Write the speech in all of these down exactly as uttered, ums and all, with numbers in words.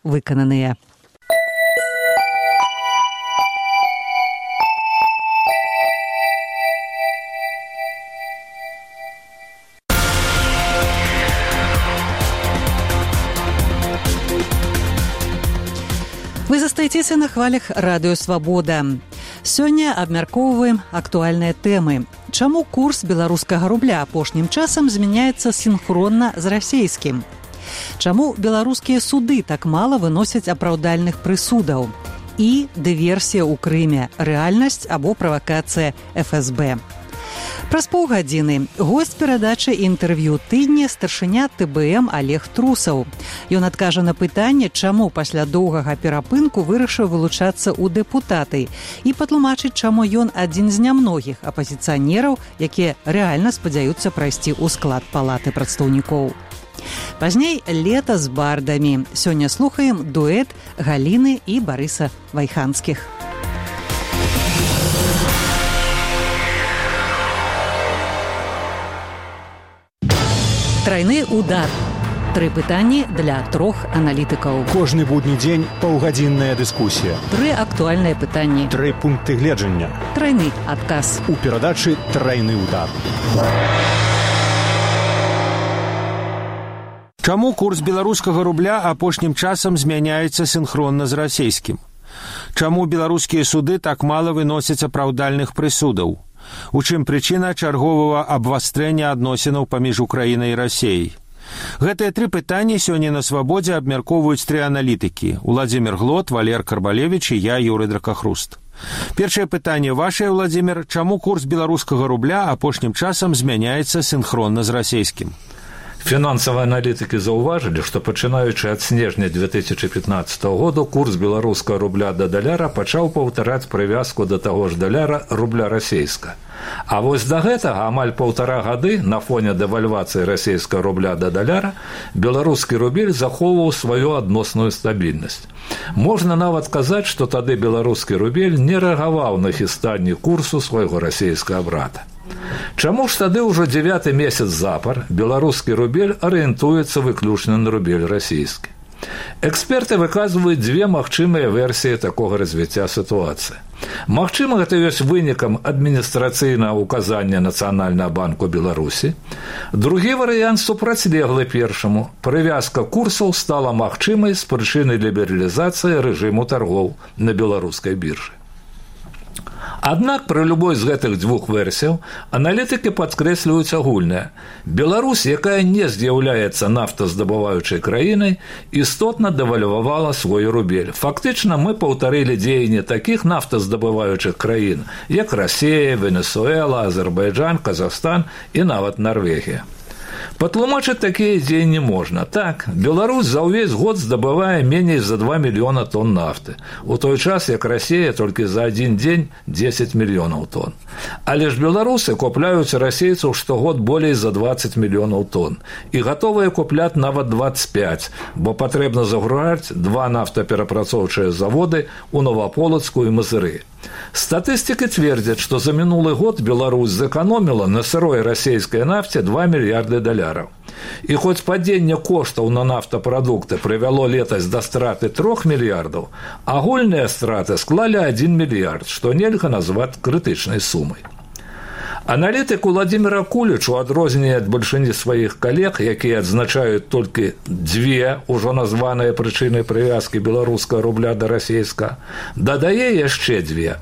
выкананыя. Вы застаецеся на хвалях радыё «Свабода». Сёння абмяркоўваем актуальныя тэмы. Чаму курс беларускага рубля апошнім часам змяняецца сінхронна з расейскім? Чаму беларускія суды так мала выносяць апраўдальных прысудаў? І дыверсія ў Крыме – рэальнасць або правакацыя эф эс бэ. Праз паўгадзіны госць перадачы інтэрв'ю тыдня старшыня тэ бэ эм Олег Трусаў. Ён адкажа на пытанне, чаму пасля доўгага перапынку вырашыў вылучацца ў дэпутаты і патлумачыць, чаму ён адзін з нямногіх апазіцыянераў, якія рэальна спадзяюцца прайсці ў склад палаты прадстаўнікоў. Пазней лета з бардамі. Сёння слухаем дуэт Галіны і Барыса Вайханскіх. Трайны удар. Тры пытанні для трох аналітыкаў. Кожны будні дзень паўгадзінная дыскусія. Тры актуальныя пытанні. Тры пункты гледжання. Трайны адказ. У перадачы «Трайны удар». Чаму курс беларускага рубля апошнім часам змяняецца сінхронна з расейскім? Чаму беларускія суды так мала выносяць апраўдальных прысудаў? У чым прычына чарговага абвастрэння адносінаў паміж Украінай і Расеяй? Гэтыя тры пытанні сёння на «Свабодзе» абмяркоўваюць тры аналітыкі – Уладзімір Глот, Валер Карбалевіч і я, Юрый Дракахруст. Першае пытанне вашае, Уладзімір. Чаму курс беларускага рубля апошнім часам змяняецца сінхронна з расейскім? Фінансавыя аналітыкі заўважылі, што пачынаючы ад снежня две тысячы пятнаццатага году курс беларускага рубля да даляра пачаў паўтараць прывязку да таго ж даляра рубля расейска. А вось да гэтага амаль паўтара гады на фоне дэвальвацыі расейскага рубля да даляра беларускі рубель захоўваў сваю адносную стабільнасць. Можна нават казаць, што тады беларускі рубель не рэагаваў на хістанні курсу свайго расейскага брата. Чаму ж тады ўжо дзевяты месяц запар беларускі рубель арыентуецца выключна на рубель расійскі? Эксперты выказваюць дзве магчымыя версіі такога развіцця сітуацыі. Магчыма, гэта ёсць вынікам адміністрацыйнага ўказання Нацыянальнага банку Беларусі. Другі варыянт супрацьлеглы першаму. Прывязка курсаў стала магчымай з прычыны лібералізацыі рэжыму таргоў на беларускай біржы. Аднак пры любой з гэтых дзвюх версіяў аналітыкі падкрэсліваюць агульнае. Беларусь, якая не з'яўляецца нафтаздабываючай краінай, істотна дэвальвавала свой рубель. Фактычна мы паўтарылі дзеянні такіх нафтаздабываючых краін, як Расія, Венесуэла, Азербайджан, Казахстан і нават Нарвегія. Патлумачыць такія дзеянні можна. Так, Беларусь за ўвесь год здабывае меней за два мільёна тонн нафты, у той час, як Расія толькі за адзін дзень дзесяць мільёнаў тонн. Але ж беларусы купляюць расейцаў штогод болей за дваццаць мільёнаў тонн і гатовыя купляць нават дваццаць пяць, бо патрэбна загружаць два нафтаперапрацоўчыя заводы ў Новаполацку і Мазыры. Статыстыкі цвердзяць, што за мінулы год Беларусь зэканоміла на сырой расейскай нафце два мільярды даляраў. І хоць падзенне коштаў на нафтапрадукты прывяло летась да страты трох мільярдаў, агульныя страты склалі адзін мільярд, што нельга назваць крытычнай сумай. Аналітык Уладзіміра Куліч, у адрозненне ад бальшыні сваіх калег, якія адзначаюць толькі дзве ўжо названыя прычыны прывязкі беларускага рубля да расейскага, дадае яшчэ дзве.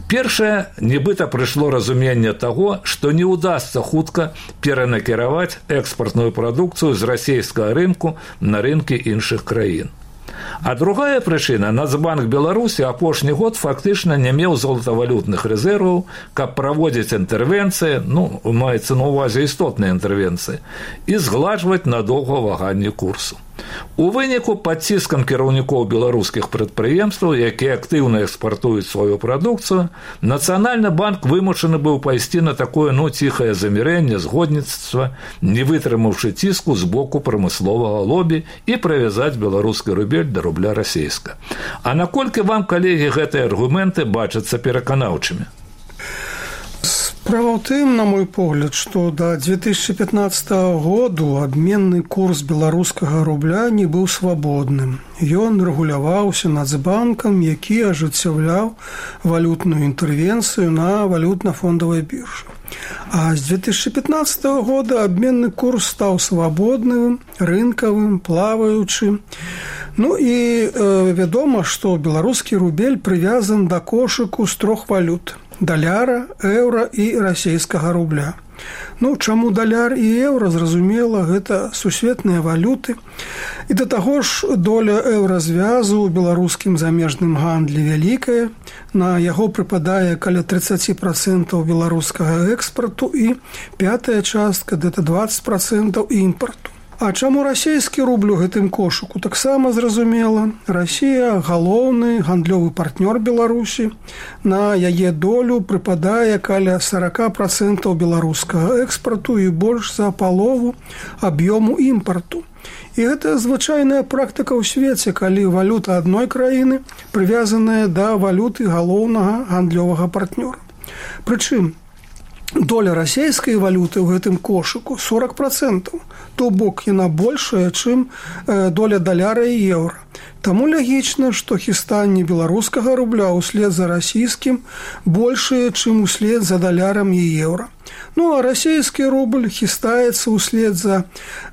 Першае, нібыта прыйшло разуменне таго, што не ўдасца хутка перанакіраваць экспартную прадукцыю з расейскага рынку на рынкі іншых краін. А другая прычына – Нацбанк Беларусі апошні год фактычна не меў золатавалютных рэзерваў, каб праводзіць інтэрвенцыі, ну, маецца на ўвазе істотныя інтэрвенцыі, і згладжваць надоўга ваганне курсу. У выніку пад ціскам кіраўнікоў беларускіх прадпрыемстваў, якія актыўна экспартуюць сваю прадукцыю, Нацыянальны банк вымушаны быў пайсці на такое, ну, ціхае замірэнне, згодніцтва, не вытрымаўшы ціску з боку прамысловага лобі і прывязаць беларускі рубель да рубля расейска. А наколькі вам, калегі, гэтыя аргументы бачацца пераканаўчымі? З Справа ў тым, на мой погляд, што да две тысячи пятнадцатого году абменны курс беларускага рубля не быў свабодным. Ён рэгуляваўся Нацбанкам, які ажыццяўляў валютную інтэрвенцыю на валютна-фондавай біржы. А з две тысячи пятнадцатого года абменны курс стаў свабодным, рынкавым, плаваючым. Ну і э, вядома, што беларускі рубель прывязан да кошыку з трох валют: даляра, еўра і расейскага рубля. Ну, чаму даляр і еўра, зразумела, гэта сусветныя валюты. І да таго ж доля еўразвязу ў беларускім замежным гандлі вялікая. На яго прыпадае каля тридцать процентов беларускага экспарту і пятая частка, гэта двадцать процентов імпарту. А чаму расійскі рубль у гэтым кошыку? Таксама зразумела. Расія – галоўны гандлёвы партнёр Беларусі. На яе долю прыпадае каля сорок процентов беларускага экспарту і больш за палову аб'ёму імпарту. І гэта звычайная практыка ў свеце, калі валюта адной краіны прывязаная да валюты галоўнага гандлёвага партнёра. Прычым, доля расійскай валюты ў гэтым кошыку сорок процентов, то бок яна большая, чым доля даляра і еўра. Таму лагічна, што хістанне беларускага рубля ўслед за расійскім большае, чым услед за далярам і еўра. Ну, а расійскі рубль хістаецца ўслед за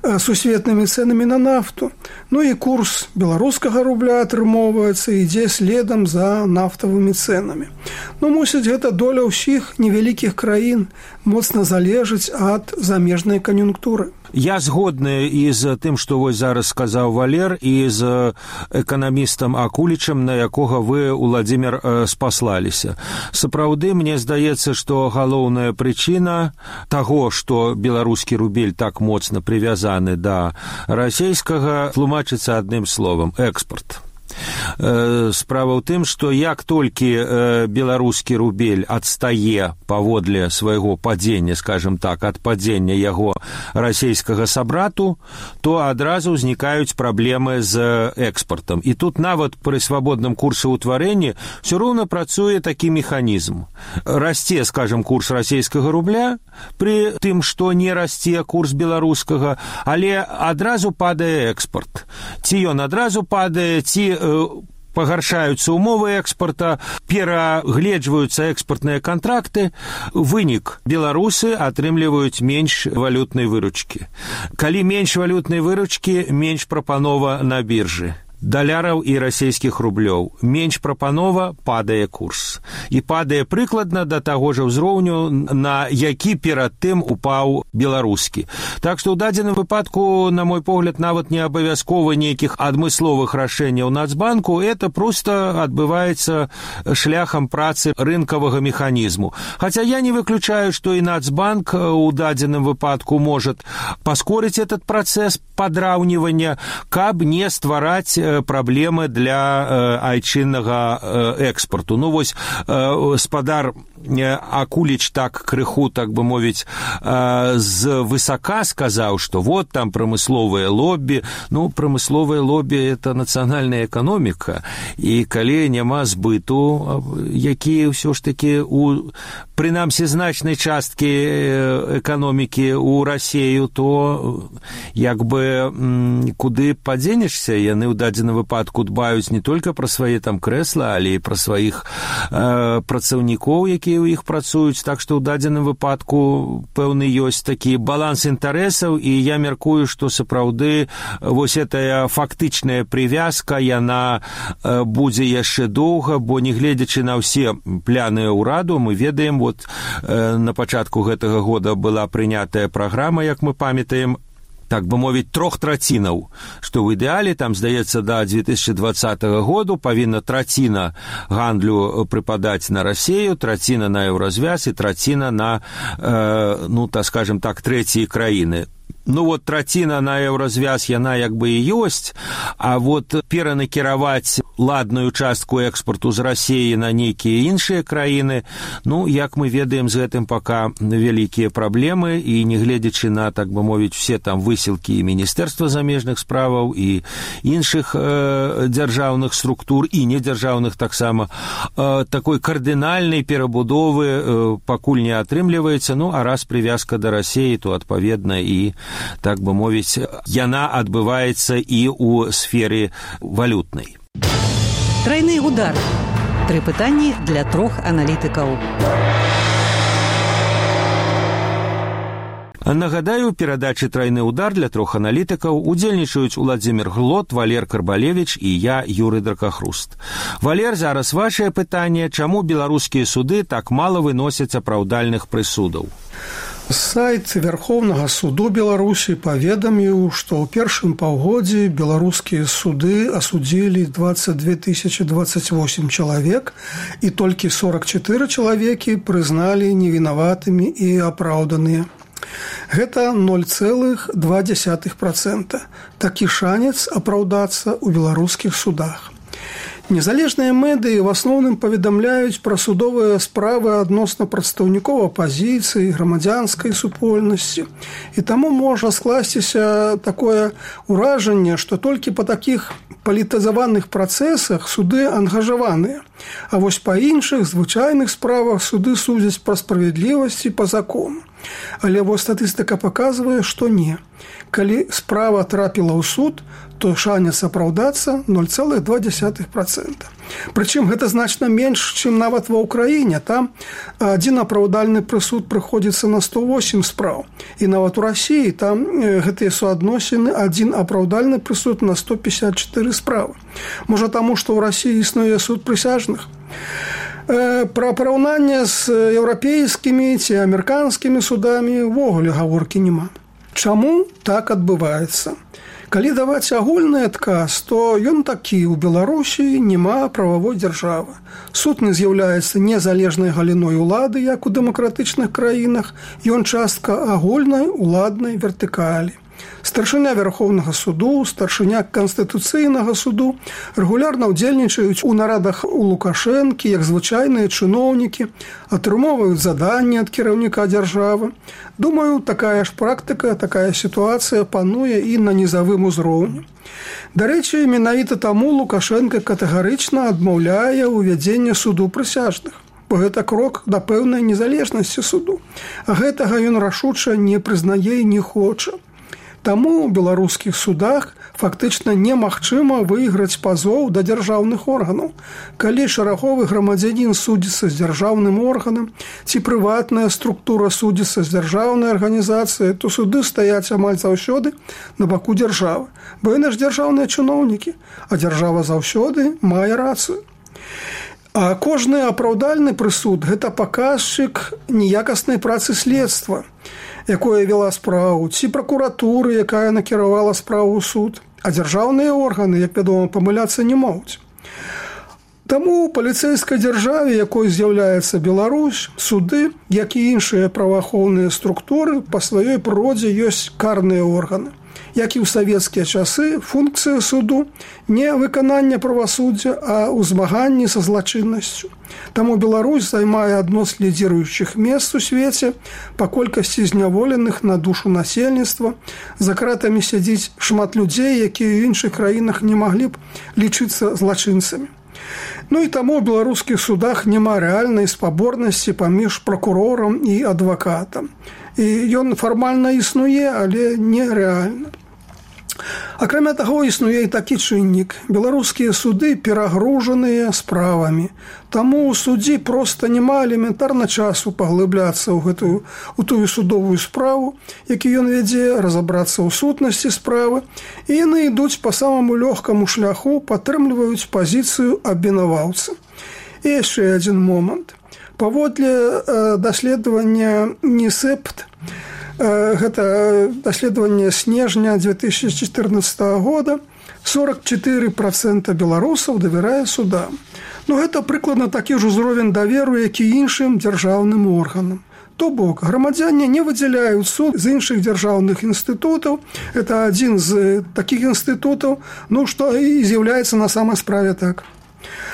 сусветнымі цэнамі на нафту. Ну і курс беларускага рубля атрымоўваецца, ідзе следам за нафтавымі цэнамі. Ну, мусіць, гэта доля ўсіх невялікіх краін моцна залежыць ад замежнай кан'юнктуры. Я згодны і з тым, што вось зараз сказаў Валер, і з эканамістам Акулічам, на якога вы, Уладзімір, спаслаліся. Сапраўды, мне здаецца, што галоўная прычына таго, што беларускі рубель так моцна прывязаны да расійскага, тлумачыцца адным словам – экспорт. Справа ў тым, што як толькі беларускі рубель адстае паводле свайго падзення, скажем так, ад падзення яго расійскага сабрату, то адразу ўзнікаюць праблемы з экспартам. І тут нават пры свабодным курсаўтварэнні ўсё роўна працуе такі механізм. Расце, скажем, курс расійскага рубля пры тым, што не расце курс беларускага, але адразу падае экспарт. Ці ён адразу падае, ці пагаршаюцца умовы экспарта, перагледжваюцца экспартныя кантракты, вынік беларусы атрымліваюць менш валютнай выручкі. Калі менш валютнай выручкі, менш прапанова на біржы даляраў і расійскіх рублёў. Менш прапанова, падае курс. І падае прыкладна да таго ж ўзроўню, на які перад тым упаў беларускі. Так што ў дадзеным выпадку, на мой погляд, нават не абавязкова нейкіх адмысловых рашэнняў Нацбанку, это проста адбываецца шляхам працы рынкавага механізму. Хаця я не выключаю, што і Нацбанк у дадзеным выпадку можа паскорыць этот працэс падраўнівання, каб не ствараць праблемы для айчыннага экспорту. Ну, вось спадар Акуліч так крыху, так бы мовіць, з высока сказаў, што вот там прамысловае лоббі. Ну, прамысловае лоббі – это нацыянальная эканоміка. І калі няма збыту, які ўсё ж такі у, прынамсі, значнай часткі эканомікі ў Расею, то як бы куды падзенешся, яны ў дадзеным выпадку дбаюць не толькі пра свае там крэсла, але і пра сваіх э, працаўнікоў, якія у іх працуюць. Так што ў дадзеным выпадку пэўны ёсць такі баланс інтарэсаў, і я мяркую, што сапраўды вось гэтая фактычная прывязка, яна э, будзе яшчэ доўга, бо нягледзячы на ўсе пляны ўраду, мы ведаем, вот э, на пачатку гэтага года была прынятая праграма, як мы памятаем, так бы мовіць, трох трацінаў, што ў ідэале, там, здаецца, да две тысячи двадцатого году павінна траціна гандлю прыпадаць на Расею, траціна на еўразвяз і траціна на, э, ну, так скажем так, трэція краіны. Ну, вот траціна на еўразвяз, яна як бы і ёсць, а вот перанакіраваць ладную частку экспорту з Расіі на нейкія іншыя краіны. Ну, як мы ведаем, з гэтым пока вялікія праблемы, і не гледзячы на, так бы мовіць, все там высілкі і Міністэрства замежных справаў, і іншых э, дзяржаўных структур, і недзяржаўных таксама, э, такой кардынальнай перабудовы э, пакуль не атрымліваецца. Ну, а раз прывязка да Расіі, то, адпаведна, і, так бы мовіць, яна адбываецца і ў сферы валютнай. Трайны удар. Тры пытанні для трох аналітыкаў. Нагадаю, перадачы «Трайны удар» для трох аналітыкаў удзельнічаюць Уладзімір Глот, Валер Карбалевіч і я, Юрый Дракахруст. Валер, зараз вашае пытанне, чаму беларускія суды так мала выносяць апраўдальных прысудаў? Сайт Верховнага суду Беларусі паведаміў, што ў першым паўгоддзі беларускія суды асудзілі двадцать две тысячи двадцать восемь чалавек, і толькі сорок четыре чалавекі прызналі невінаватымі і апраўданыя. Гэта ноль цэлых два дзесятых працэнта. Такі шанец апраўдацца ў беларускіх судах. Незалежныя медыі в асноўным паведамляюць пра судовыя справы адносна прадстаўнікоў апазіцыі, грамадзянскай супольнасці. І таму можа скласціся такое ўражанне, што толькі па такіх палітызаваных працэсах суды ангажаваныя. А вось па іншых звычайных справах суды судзяць пра справядлівасць і па закону. Але вось статыстыка паказвае, што не. Калі справа трапіла ў суд, то шанец апраўдацца ноль цэлых два дзесятых працэнта. Прычым гэта значна менш, чым нават ва ўкраіне. Там адзін апраўдальны прысуд прыходзіцца на сто восемь спраў. І нават у Расіі там гэтыя суадносіны адзін апраўдальны прысуд на сто пятьдесят четыре справы. Можа таму, што ў Расіі існуе суд прысяжных? Пра параўнанне з еўрапейскімі ці амерыканскімі судамі ўвогуле гаворкі няма. Чаму так адбываецца? Калі даваць агульны адказ, то ён такі: у Беларусі няма прававой дзяржавы. Суд не з'яўляецца незалежнай галіной улады, як у дэмакратычных краінах, ён частка агульнай уладнай вертыкалі. Старшыня Верховнага суду, старшыня Канстытуцыйнага суду рэгулярна ўдзельнічаюць у нарадах у Лукашэнкі, як звычайныя чыноўнікі, атрымоўваюць заданні ад кіраўніка дзяржавы. Думаю, такая ж практыка, такая сітуацыя пануе і на нізавым узроўні. Дарэчы, менавіта таму Лукашэнка катэгарычна адмаўляе ўвядзенне суду прысяжных. Бо гэта крок да пэўнай незалежнасці суду. А гэтага ён рашуча не прызнае і не хоча. Таму ў беларускіх судах фактычна немагчыма выйграць пазоў да дзяржаўных органаў. Калі шараговы грамадзянін судзіцца з дзяржаўным органам ці прыватная структура судзіцца з дзяржаўнай арганізацыяй, то суды стаяць амаль заўсёды на баку дзяржавы. Бо яны ж дзяржаўныя чыноўнікі, а дзяржава заўсёды мае рацыю. А кожны апраўдальны прысуд – гэта паказчык неякаснай працы следства, якое вела справу, ці пракуратуры, якая накіравала справу ў суд. А дзяржаўныя органы, як вядома, памыляцца не могуць. Таму ў паліцэйскай дзяржаве, якой з'яўляецца Беларусь, суды, як і іншыя праваахоўныя структуры, па сваёй прыродзе ёсць карныя органы. Як і ў савецкія часы, функцыя суду не выканання правасуддзя, а ўзмаганні са злачыннасцю. Таму Беларусь займае адно з лідзіруючых мест у свеце па колькасці зняволеных на душу насельніцтва. За кратамі сядзіць шмат людзей, якія ў іншых краінах не маглі б лічыцца злачынцамі. Ну і таму ў беларускіх судах няма рэальнай спаборнасці паміж пракурорам і адвакатам. І ён фармальна існуе, але нерэальна. Акрамя таго, існуе і такі чыннік. Беларускія суды перагружаныя справамі. Таму ў суддзі проста няма элементарна часу паглыбляцца ў гэтую у тую судовую справу, які ён вядзе, разабрацца ў сутнасці справы, і яны ідуць па самаму лёгкаму шляху, падтрымліваюць пазіцыю абвінаваўцы. І яшчэ адзін момант. Паводле даследавання НИСЭПТ, гэта даследаванне снежня две тысячи четырнадцатого года, сорок четыре процента беларусаў давярае судам. Ну, гэта прыкладна такі ж узровень даверу, як і іншым дзяржаўным органам. То бок, грамадзяне не выдзяляюць суд з іншых дзяржаўных інстытутаў. Это адзін з такіх інстытутаў, ну, што і з'яўляецца на самай справе так.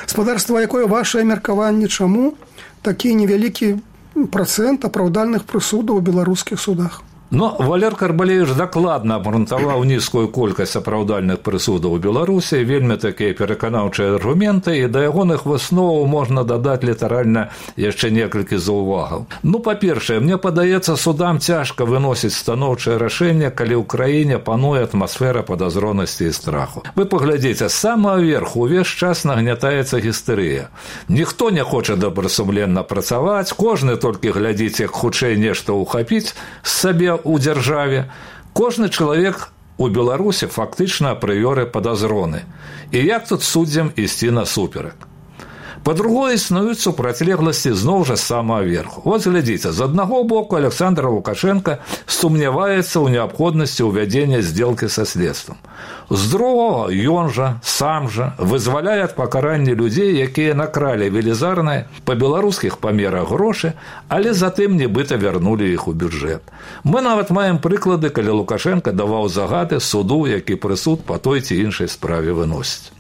Спадарства, якое вашае меркаванне, чаму такі невялікі працэнт апраўдальных прысудаў у беларускіх судах? Но Валер Карбалевич дакладна абгрунтаваў нізкую колькасць апраўдальных прысудаў у Беларусі, вельмі такія пераканаўчыя аргументы, і да ягоных высноваў можна дадаць літаральна яшчэ некалькі заўвагаў. Ну, па-першае, мне падаецца, судам цяжка выносіць станоўчае рашэнне, калі ў краіне пануе атмасфера падазронасці і страху. Вы паглядзіце, з самага верху ўвесь час нагнятаецца гістэрыя. Ніхто не хоча добрасумленна працаваць, кожны толькі глядзіць, як хутчэй нешта ўхапіць з сабе у дзяржаве. Кожны чалавек у Беларусі фактычна апрыёры падазроны. І як тут суддзям ісці насуперак? Па-другое, існуюць супрацьлегласці зноў жа з самага верху. Вот глядзіце, з аднаго боку Александр Лукашенко сумняваецца ў неабходнасці ўвядзення здзелкі са следствам. З другога, ён жа, сам жа, вызваляе ад пакарання людзей, якія накралі велізарныя па беларускіх памерах грошы, але затым нібыта вярнулі іх у бюджэт. Мы нават маем прыклады, калі Лукашенко даваў загады суду, які прысуд па той ці іншай справе выносіць.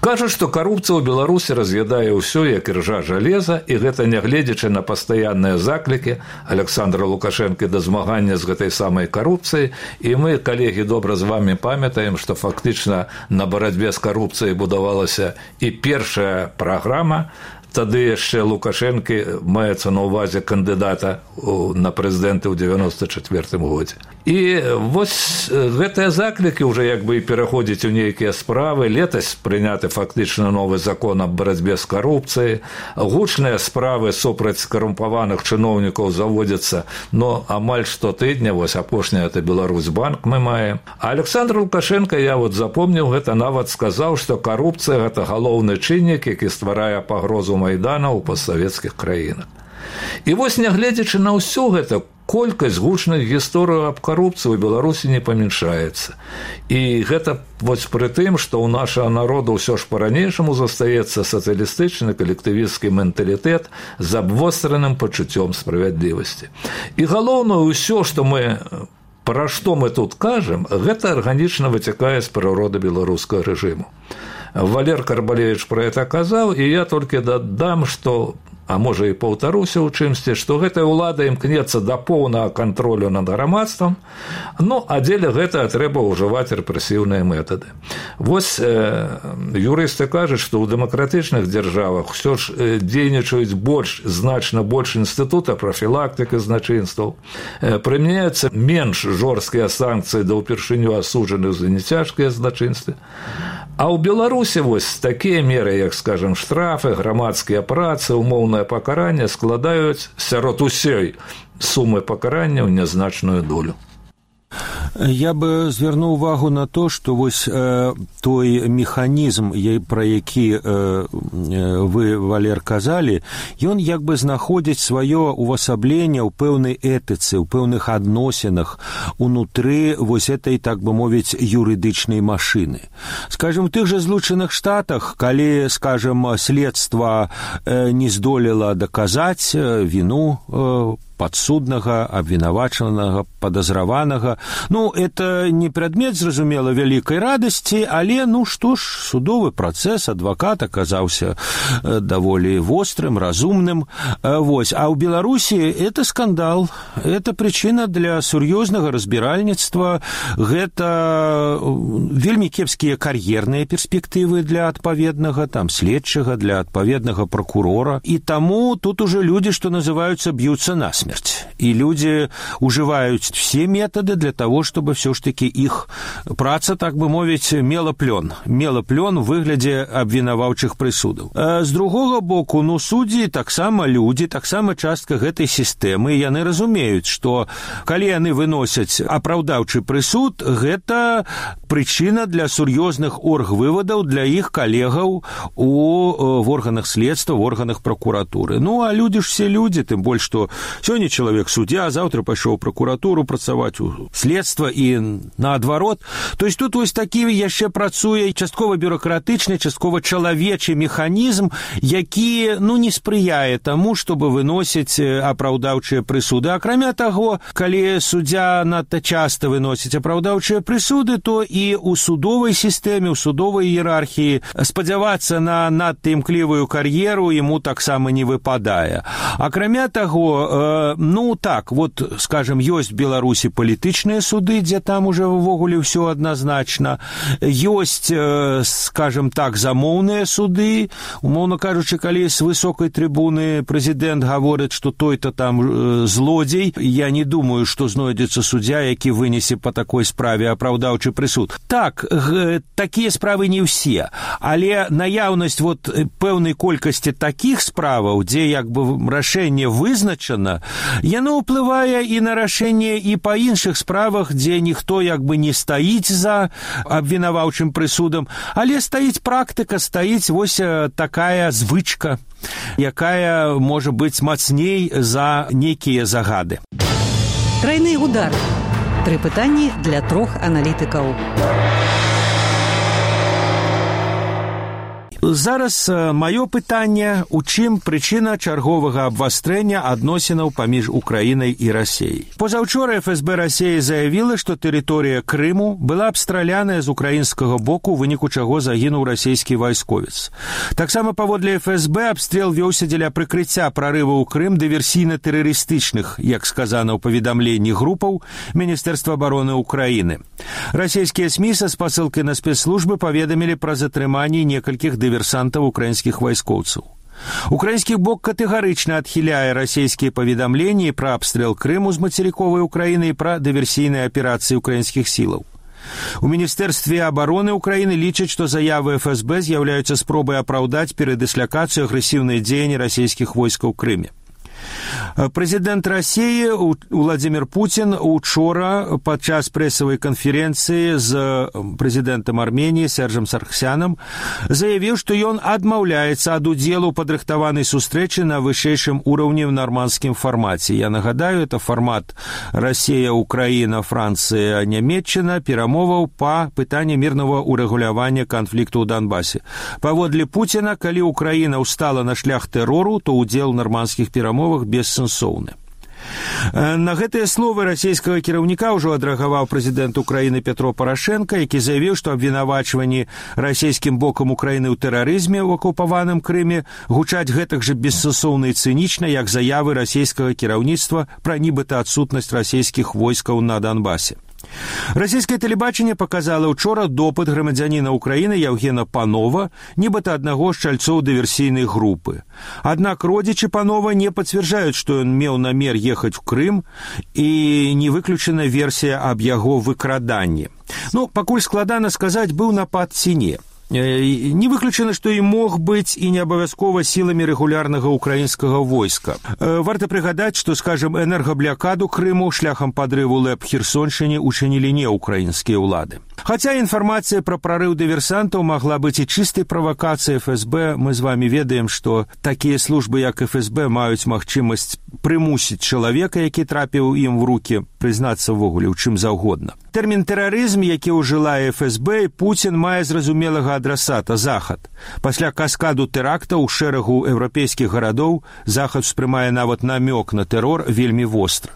Кажа, што карупцыя ў Беларусі раз'ядае ўсё, як іржа жалеза, і гэта нягледзячы на пастаянныя заклікі Александра Лукашэнкі да змагання з гэтай самай карупцыяй, і мы, калегі, добра з вамі памятаем, што фактычна на барацьбе з карупцыяй будавалася і першая праграма. Тады яшчэ Лукашэнкі маецца на ўвазе кандыдата на прэзідэнты ў дзевяноста чацвёртым годзе. І вось гэтыя заклікі ўжо як бы і пераходзяць у нейкія справы. Летась прыняты фактычна новы закон аб барацьбе з карупцыяй. Гучныя справы супраць карумпаваных чыноўнікаў заводзяцца, но амаль штотыдня, вось апошняя это Беларусьбанк мы маем. А Александр Лукашенко, я вот запомніў, гэта нават сказаў, што карупцыя гэта галоўны чыннік, які стварае пагрозу Майдана ў постсавецкіх краінах. І вось, нягледзячы на ўсё гэта, колькасць гучных гісторый аб карупцыі ў Беларусі не памяншаецца. І гэта вось пры тым, што ў нашага народу ўсё ж па-ранейшаму застаецца сацыялістычны калектывісцкі менталітэт з абвостраным пачуццём справядлівасці. І галоўнае, ўсё, што мы пра што мы тут кажам, гэта арганічна выцякае з прыроды беларускага рэжыму. Валер Карбалевич пра гэта казаў, і я толькі дадам, што, а можа і паўтаруся ў чымсьці, што гэтая ўлада імкнецца да поўнага кантролю над грамадствам, ну, а дзеля гэтага трэба ўжываць рэпрэсіўныя метады. Вось э, юрысты кажуць, што ў дэмакратычных дзяржавах ўсё ж э, дзейнічаюць больш, значна больш інстытута прафілактыкі злачынстваў, э, прымяняюцца менш жорсткія санкцыі да ўпершыню асуджаных за нецяжкія злачынствы. А ў Беларусі вось такія меры, як, скажам, штрафы, грамадскія працы, умоўнае пакаранне складаюць сярод усёй сумы пакаранняў нязначную долю. Я бы звярнуў увагу на то, што вось э, той механізм, пра які э, вы, Валер, казалі, ён як бы знаходзіць сваё увасабленне ў пэўнай этыцы, ў пэўных адносінах унутры вось этой, так бы мовіць, юрыдычнай машыны. Скажем, у тых жа Злучаных Штатах, калі, скажем, следства э, не здолела даказаць віну э, падсуднага, абвінавачанага, падазраванага. Ну, это не прадмет, зразумела, вялікай радасці, але, ну, што ж, судовы працэс, адвакат аказаўся э, даволі вострым, разумным. Э, вось. А ў Беларусі это скандал, это прычына для сур'ёзнага разбіральніцтва, гэта вельмі кепскія кар'ерныя перспектывы для адпаведнага, там, следчага, для адпаведнага пракурора. І таму тут уже людзі, што называюцца, б'юцца насмерць. И люди уживают все методы для того, чтобы все-таки их праца, так бы мовить, мела плен. Мела плен в выгляде обвинаваўчых прысудаў. А з другого боку, ну, судьи таксама люди, таксама частка гэтай сістэмы, яны разумеюць, што калі яны выносяць апраўдаўчы прысуд, гэта прычына для сур'ёзных оргвывадаў для іх калегаў у в органах следства, в органах прокуратуры. Ну, а люди ж все люди, тым больш, што сёння Сёння чалавек суддзя, заўтра пайшоў у пракуратуру працаваць у следства і наадварот. То есть тут вось такі яшчэ працуе часткова бюрократычны, часткова чалавечы механізм, які ну не спрыяе таму, чтобы выносіць апраўдаўчыя прысуды. Акрамя таго, калі суддзя надта часта выносіць апраўдаўчыя прысуды, то і ў судовай сістэме, ў судовай іерархіі спадзявацца на надта імклівую кар'еру яму таксама не выпадае. Акрамя таго, э, ну так, вот, скажем, ёсць в Беларусі палітычныя суды, дзе там уже ўвогуле ўсё адназначна. Ёсць, э, скажем так, замоўныя суды. Умоўна кажучы, калі з высокай трыбуны прэзідэнт гаворыць, што той-то там э, злодзей, я не думаю, што знойдзецца суддзя, які вынесе по такой справе апраўдаўчы прысуд. Так, г, такія справы не ўсе, але наяўнасць вот пэўнай колькасці такіх справаў, дзе як бы рашэнне вызначана, яно ўплывае і на рашэнне і па іншых справах, дзе ніхто як бы не стаіць за абвінаваўчым прысудам, але стаіць практыка, стаіць вось такая звычка, якая можа быць мацней за нейкія загады. Трайны удар. Тры пытанні для трох аналітыкаў. Зараз маё пытанне, у чым прычына чарговага абвастрэння адносінаў паміж Украінай і Расіяй. Позаўчора эф эс бэ Расіі заявіла, што тэрыторыя Крыму была абстраляная з украінскага боку, у выніку чаго загінуў расійскі вайсковец. Таксама паводле эф эс бэ абстрэл вёўся дзеля прыкрыцця прарыву ў Крым дыверсійна-тэрарыстычных, як сказана ў паведамленні групаў Міністэрства абароны Украіны. Расійскія СМІ са спасылкай на спецслужбы паведамілі пра затрыманне некалькіх дыверсійных дыверсантаў украінскіх вайскоўцаў. Украінскі бок катэгарычна адхіляе расійскія паведамленні пра абстрэл Крыму з мацерыковай Украіны і пра дыверсійныя аперацыі украінскіх сілаў. У Міністэрстве абароны Украіны лічаць, што заявы эф эс бэ з'яўляюцца спробай апраўдаць перадысляцыю агрэсіўныя дзеянні расійскіх войскаў у Крыме. Прэзідэнт Расіі Владзімір Пуцін учора падчас прэсавай канферэнцыі з прэзідэнтам Арменіі Сержам Сарксянам заявіў, што ён адмаўляецца ад удзелу ў падрыхтаванай сустрэчы на вышэйшым ўраўні ў нармандскім фармаце. Я нагадаю, это фармат Расія, Украіна, Францыя, Нямецчына, перамоваў па пытанні мірнага урэгулявання канфлікту ў Донбасе. Паводле Пуціна, калі Украіна ўстала на шлях тэрору, то удзел у нармандскіх перамовах бессэнсоўны. На гэтыя словы расійскага кіраўніка ўжо адрэагаваў прэзідэнт Украіны Петро Парашенко, які заявіў, што абвінавачванні расійскім бокам Украіны ў тэрарызме ў акупаваным Крыме гучаць гэтак жа бессэнсоўна і цынічна, як заявы расійскага кіраўніцтва пра нібыта адсутнасць расійскіх войскаў на Донбасе. Расійскае тэлебачанне паказала ўчора допыт грамадзяніна Украіны Яўгена Панова, нібыта аднаго з чальцоў дыверсійнай групы. Аднак родзічы Панова не пацвярджаюць, што ён меў намер ехаць у Крым, і не выключана версія аб яго выкраданні. Ну, пакуль складана сказаць, быў напад ці не. Не выключана, што і мог быць і не абавязкова сіламі рэгулярнага украінскага войска. Варта прыгадаць, што, скажем, энергабляkaду Крыму шляхам падрыву ЛЭП Херсоншчыне учынілі не украінскія ўлады. Хаця інфармацыя пра прарыў дыверсантаў магла быць і чыстай правакацыяй эф эс бэ, мы з вамі ведаем, што такія службы, як эф эс бэ, маюць магчымасць прымусіць чалавека, які трапіў ім в рукі, прызнацца ввогуле ў чым заўгодна. Тэрмін тэрарызм, які ўжылае эф эс бэ, Пуцін мае зразумелага адрасата – Захад. Пасля каскаду тэрактаў у шэрагу еўрапейскіх гарадоў Захад успрымае нават намёк на тэрор вельмі востра.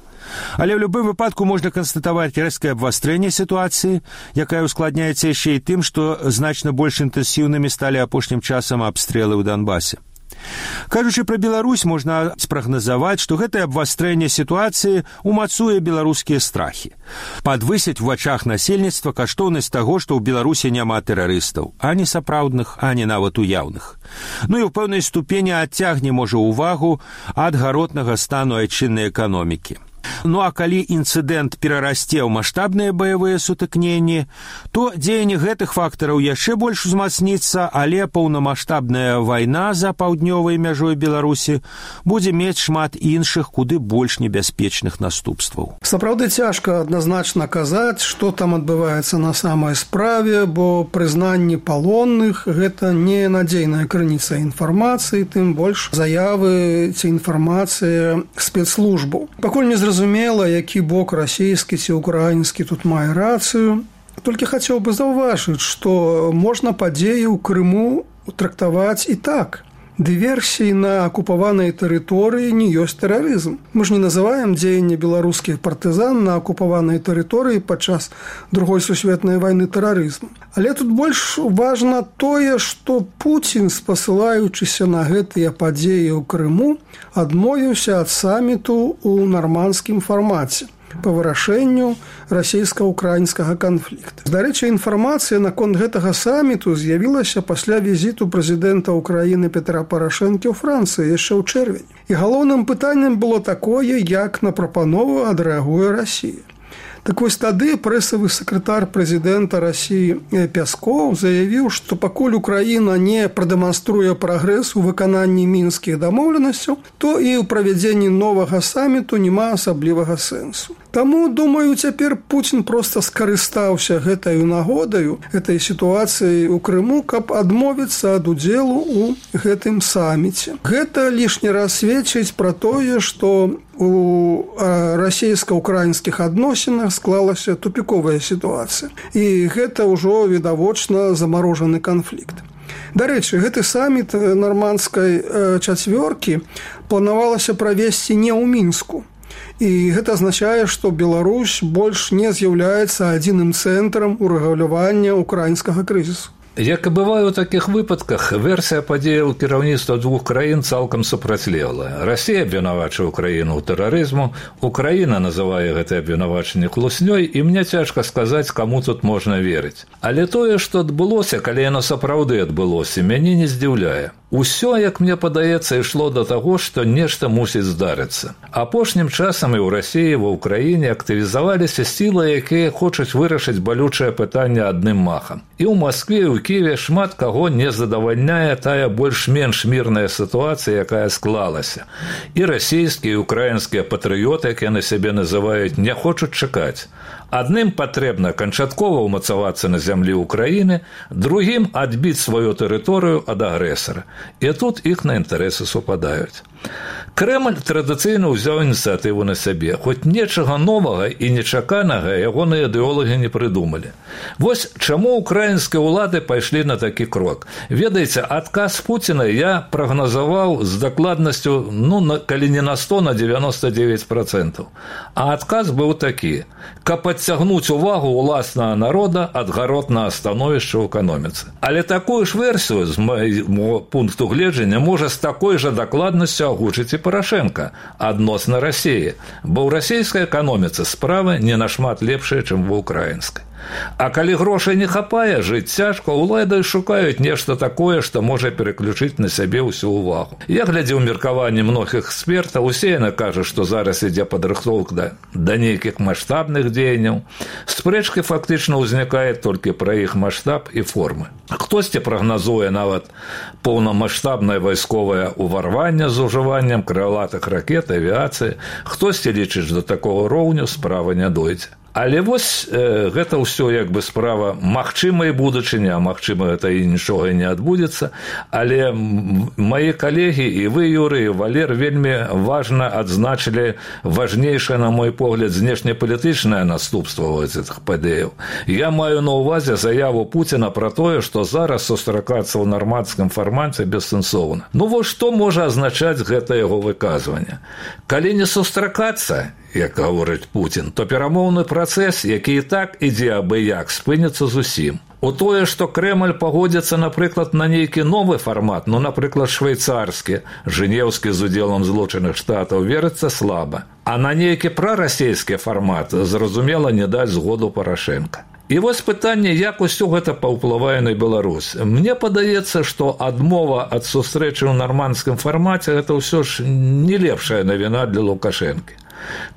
Але ў любым выпадку можна канстатаваць рэзкае абвастрэнне сітуацыі, якая ускладняецца яшчэ і тым, што значна больш інтэнсіўнымі сталі апошнім часам абстрэлы ў Донбасе. Кажучы пра Беларусь, можна спрагназаваць, што гэтае абвастрэнне сітуацыі умацуе беларускія страхі. Падвысіць у вачах насельніцтва каштоўнасць таго, што ў Беларусі няма тэрарыстаў, ані сапраўдных, ані нават уяўных. Ну і ў пэўнай ступені адцягне, можа, увагу ад гаротнага стану айчыннай эканомікі. Ну а калі інцыдэнт перарасце ў маштабныя баявыя сутыкненні, то дзеянне гэтых фактараў яшчэ больш узмацніцца, але паўнамаштабная вайна за паўднёвай мяжой Беларусі будзе мець шмат іншых, куды больш небяспечных наступстваў. Сапраўды цяжка адназначна казаць, што там адбываецца на самай справе, бо прызнанне палонных – гэта не надзейная крыніца інфармацыі, тым больш заявы ці інфармацыя спецслужбаў. Пакуль не зразумела, які бок расійскі ці украінскі тут мае рацыю. Толькі хацеў бы заўважыць, што можна падзеі ў Крыму трактаваць і так. Дыверсіі на акупаванай тэрыторыі не ёсць тэрарызм. Мы ж не называем дзеянне беларускіх партызан на акупаванай тэрыторыі падчас Другой сусветнай вайны тэрарызмам. Але тут больш важна тое, што Пуцін, спасылаючыся на гэтыя падзеі ў Крыму, адмовіўся ад саміту ў нармандскім фармаце па вырашэнню расійска-украінскага канфлікта. Дарэчы, інфармацыя наконт гэтага саміту з'явілася пасля візіту прэзідэнта Украіны Петра Парашэнкі ў Францыі яшчэ ў чэрвені. І галоўным пытаннем было такое, як на прапанову адрэагуе Расія. Так вось тады прэсавы сакратар прэзідэнта Расіі Пяскоў заявіў, што пакуль Украіна не прадэманструе прагрэс у выкананні мінскіх дамоўленасцяў, то і ў правядзенні новага саміту няма асаблівага сэнсу. Таму, думаю, цяпер Пуцін проста скарыстаўся гэтаю нагодаю, гэтай сітуацыяй у Крыму, каб адмовіцца ад удзелу ў гэтым саміце. Гэта лішні раз сведчыць пра тое, што у расійска-украінскіх адносінах склалася тупіковая сітуацыя. І гэта ўжо відавочна замарожаны канфлікт. Дарэчы, гэты саміт нармандскай чацвёркі планавалася правесці не ў Мінску. І гэта азначае, што Беларусь больш не з'яўляецца адзіным цэнтрам урэгулявання украінскага крызісу. Як і бывае ў такіх выпадках, версія падзеяў кіраўніцтва двух краін цалкам супрацьлеглая. Расія абвінавачвае Украіну ў тэрарызму, Украіна называе гэтае абвінавачанне хлуснёй, і мне цяжка сказаць, каму тут можна верыць. Але тое, што адбылося, калі яно сапраўды адбылося, мяне не здзіўляе. Усё, як мне падаецца, ішло да таго, што нешта мусіць здарыцца. Апошнім часам і ў Расіі, і ва ўкраіне актывізаваліся сілы, якія хочуць вырашыць балючае пытанне адным махам. І ў Маскве, і ў Кіеве шмат каго не задавальняе тая больш-менш мірная сітуацыя, якая склалася. І расійскія, і украінскія патрыёты, як яны сябе называюць, не хочуць чакаць. Адным патрэбна канчаткова ўмацавацца на зямлі Украіны, другім адбіць сваю тэрыторыю ад агрэсара. І тут іхныя інтарэсы супадаюць. Крэмль традыцыйна ўзяў ініцыятыву на сябе, хоць нечага новага і нечаканага ягоныя ідэолагі не прыдумалі. Вось чаму украінскія ўлады пайшлі на такі крок. Ведаеце, адказ Пуціна я прагназаваў з дакладнасцю, ну, на, калі не на сто, на девяносто девять процентов. А адказ быў такі: каб адцягнуць увагу ўласнага народа ад гаротнага становішча ў эканоміцы. Але такую ж версію, з майго пункту гледжання, можа з такой жа дакладнасцю агучыць і Парашенко адносна Расіі, бо ў расійскай эканоміцы справы не нашмат лепшыя, чым ва ўкраінскай. А калі грошай не хапае, жыць цяжка, улады шукаюць нешта такое, што можа переключыць на сябе ўсю ўвагу. Я глядзеў меркаванне многіх экспертаў, усе яны кажуць, што зараз ідзе падрыхтоўка да, да нейкіх маштабных дзеянняў. Спрэчкі фактычна ўзнікае толькі пра іх маштаб і формы. Хтосьці прагназуе нават поўнамаштабнае вайсковае ўварванне з ужываннем крылатых ракет, авіяцыі, хтосьці лічыць, да такога роўню справа не дойдзе. Але вось э, гэта ўсё як бы справа магчымай будучыні, а магчыма гэта і нічога не адбудзецца, але мае калегі і вы, Юрый, і Валер, вельмі важна адзначылі важнейшае, на мой погляд, знешнепалітычнае наступства гэтых падзеяў. Я маю на ўвазе заяву Пуціна пра тое, што зараз сустракацца ў нармандскім фармаце бессэнсоўна. Ну вось што можа азначаць гэта яго выказванне? Калі не сустракацца, як гаворыць Пуцін, то перамоўны працэс, які і так ідзе абы-як, спыніцца зусім. У тое, што Крэмль пагодзіцца, напрыклад, на нейкі новы фармат, ну, напрыклад, швейцарскі, жэнеўскі з удзелам Злучаных Штатаў, верыцца слаба. А на нейкі прарасійскі фармат, зразумела, не даць згоду Парашенка. І вось пытанне, як усё гэта паўплывае на Беларусь. Мне падаецца, што адмова ад сустрэчы ў нармандскім фармаце – гэта ўсё ж не лепшая навіна для Лукашэнкі.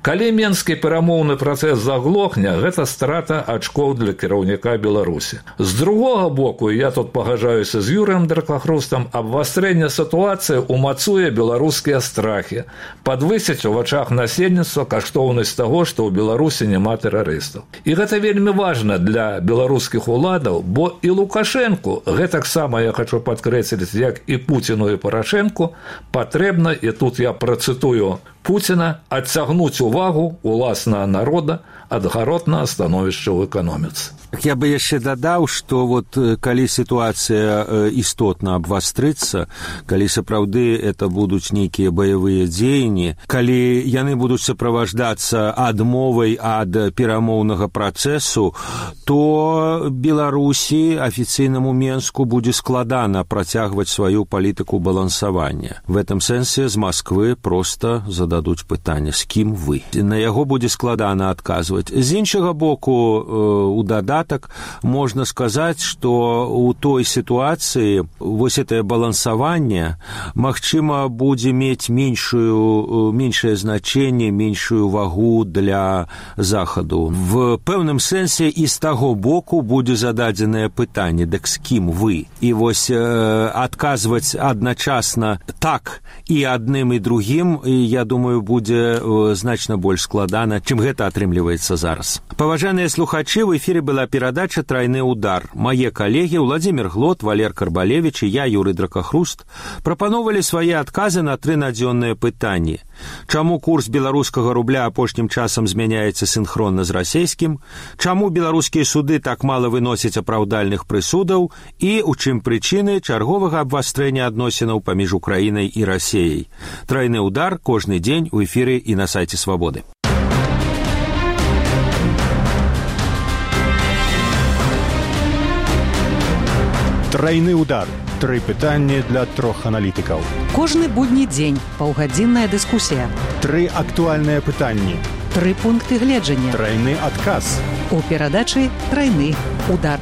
Калі менскі перамоўны працэс заглохне, гэта страта ачкоў для кіраўніка Беларусі. З другога боку, я тут пагаджаюся з Юрыем Дракахрустам, абвастрэнне сітуацыі умацуе беларускія страхі, падвысіць у вачах насельніцтва каштоўнасць таго, што ў Беларусі няма тэрарыстаў. І гэта вельмі важна для беларускіх уладаў, бо і Лукашенку, гэтаксама я хочу падкрэсліць, як і Пуціну і Парашенку, патрэбна, і тут я працытую Пуціна, адцягнуць увагу уласнага народа ад гаротнага становішча ў эканоміцы. Я бы яшчэ дадаў, што вот калі сітуацыя істотна абвастрыцца, калі сапраўды это будуць нейкія баявыя дзеянні, калі яны будуць суправаждацца адмовай ад перамоўнага працэсу, то Беларусі, афіцыйнаму Менску, будзе складана працягваць сваю палітыку балансавання. В этом сэнсе з Масквы проста зададуць пытанне, з кім вы. На яго будзе складана адказваць. З іншага боку, у дадатак можна сказаць, што ў той сітуацыі вось гэтае балансаванне, магчыма, будзе мець меншую, меншае значэнне, меншую вагу для Захаду. В пэўным сэнсе і з таго боку будзе зададзенае пытанне, дык з кім вы? І вось э, адказваць адначасна так і адным і другім, я думаю, будзе э, значна больш складана, чым гэта атрымліваецца зараз. Паважаныя слухачы, в эфире была перадача «Тройны удар». Мае калегі Владимир Глот, Валер Карбалевич і я, Юрый Дракахруст, прапановалі свае адказы на тры надзённыя пытанні. Чаму курс беларускага рубля апошнім часам змяняецца сінхронна з расейскім? Чаму беларускія суды так мала выносяць апраўдальных прысудаў? І у чым прычыны чарговага абвастрэння адносінаў паміж Украінай і Расеяй? «Тройны удар» кожны дзень у эфіры і на сайце Свабоды. Тройны удар. Тры пытанні для трох аналітыкаў. Кожны будні дзень паўгадзінная дыскусія. Тры актуальныя пытанні. Тры пункты гледжання. Тройны адказ. У перадачы «Тройны удар».